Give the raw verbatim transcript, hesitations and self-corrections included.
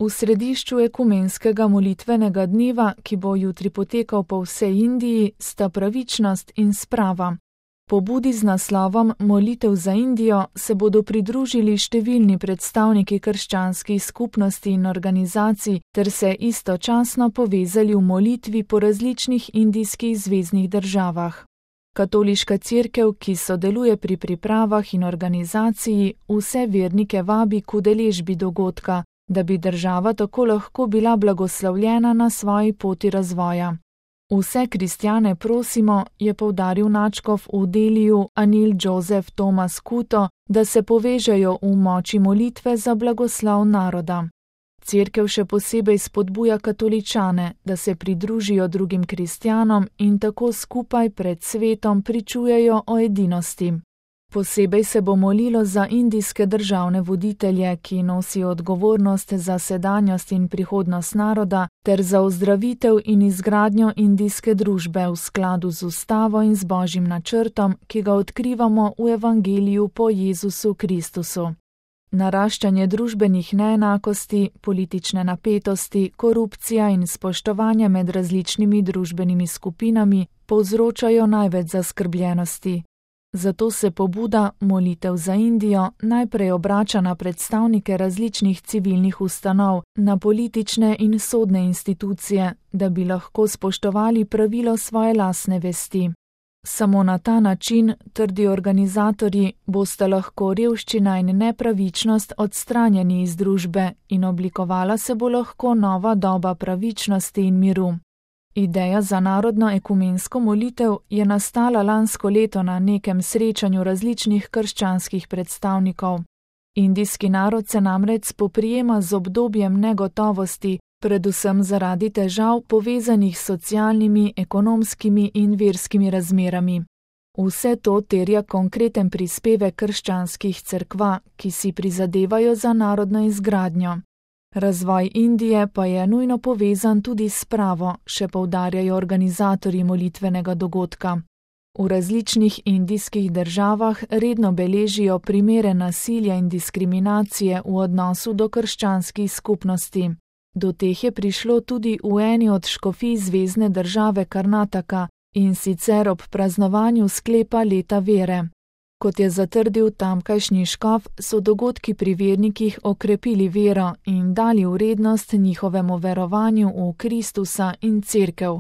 V središču ekumenskega molitvenega dneva, ki bo jutri potekal po vsej Indiji, sta pravičnost in sprava. Pobudi z naslovom Molitev za Indijo se bodo pridružili številni predstavniki krščanskih skupnosti in organizacij ter se istočasno povezali v molitvi po različnih indijskih zveznih državah. Katoliška cerkev, ki sodeluje pri pripravah in organizaciji, vse vernike vabi k udeležbi dogodka, da bi država tako lahko bila blagoslovljena na svoji poti razvoja. Vse kristjane prosimo, je poudaril nadškof v Deliju Anil Joseph Thomas Kuto, da se povežejo v moči molitve za blagoslov naroda. Cerkev še posebej spodbuja katoličane, da se pridružijo drugim kristjanom in tako skupaj pred svetom pričujejo o edinosti. Posebej se bo molilo za indijske državne voditelje, ki nosijo odgovornost za sedanjost in prihodnost naroda, ter za ozdravitev in izgradnjo indijske družbe v skladu z ustavo in z Božjim načrtom, ki ga odkrivamo v Evangeliju po Jezusu Kristusu. Naraščanje družbenih neenakosti, politične napetosti, korupcija in spoštovanje med različnimi družbenimi skupinami povzročajo največ zaskrbljenosti. Zato se pobuda Molitev za Indijo najprej obrača na predstavnike različnih civilnih ustanov, na politične in sodne institucije, da bi lahko spoštovali pravilo svoje lastne vesti. Samo na ta način, trdijo organizatorji, bosta lahko revščina in nepravičnost odstranjeni iz družbe in oblikovala se bo lahko nova doba pravičnosti in miru. Ideja za narodno ekumensko molitev je nastala lansko leto na nekem srečanju različnih krščanskih predstavnikov. Indijski narod se namreč spoprijema z obdobjem negotovosti, predvsem zaradi težav povezanih s socialnimi, ekonomskimi in verskimi razmerami. Vse to terja konkreten prispevek krščanskih cerkva, ki si prizadevajo za narodno izgradnjo. Razvoj Indije pa je nujno povezan tudi s spravo, še poudarjajo organizatorji molitvenega dogodka. V različnih indijskih državah redno beležijo primere nasilja in diskriminacije v odnosu do krščanskih skupnosti. Do teh je prišlo tudi v eni od škofij zvezne države Karnataka, in sicer ob praznovanju sklepa leta vere. Kot je zatrdil tamkajšnji škof, so dogodki pri vernikih okrepili vero in dali vrednost njihovemu verovanju v Kristusa in cerkev.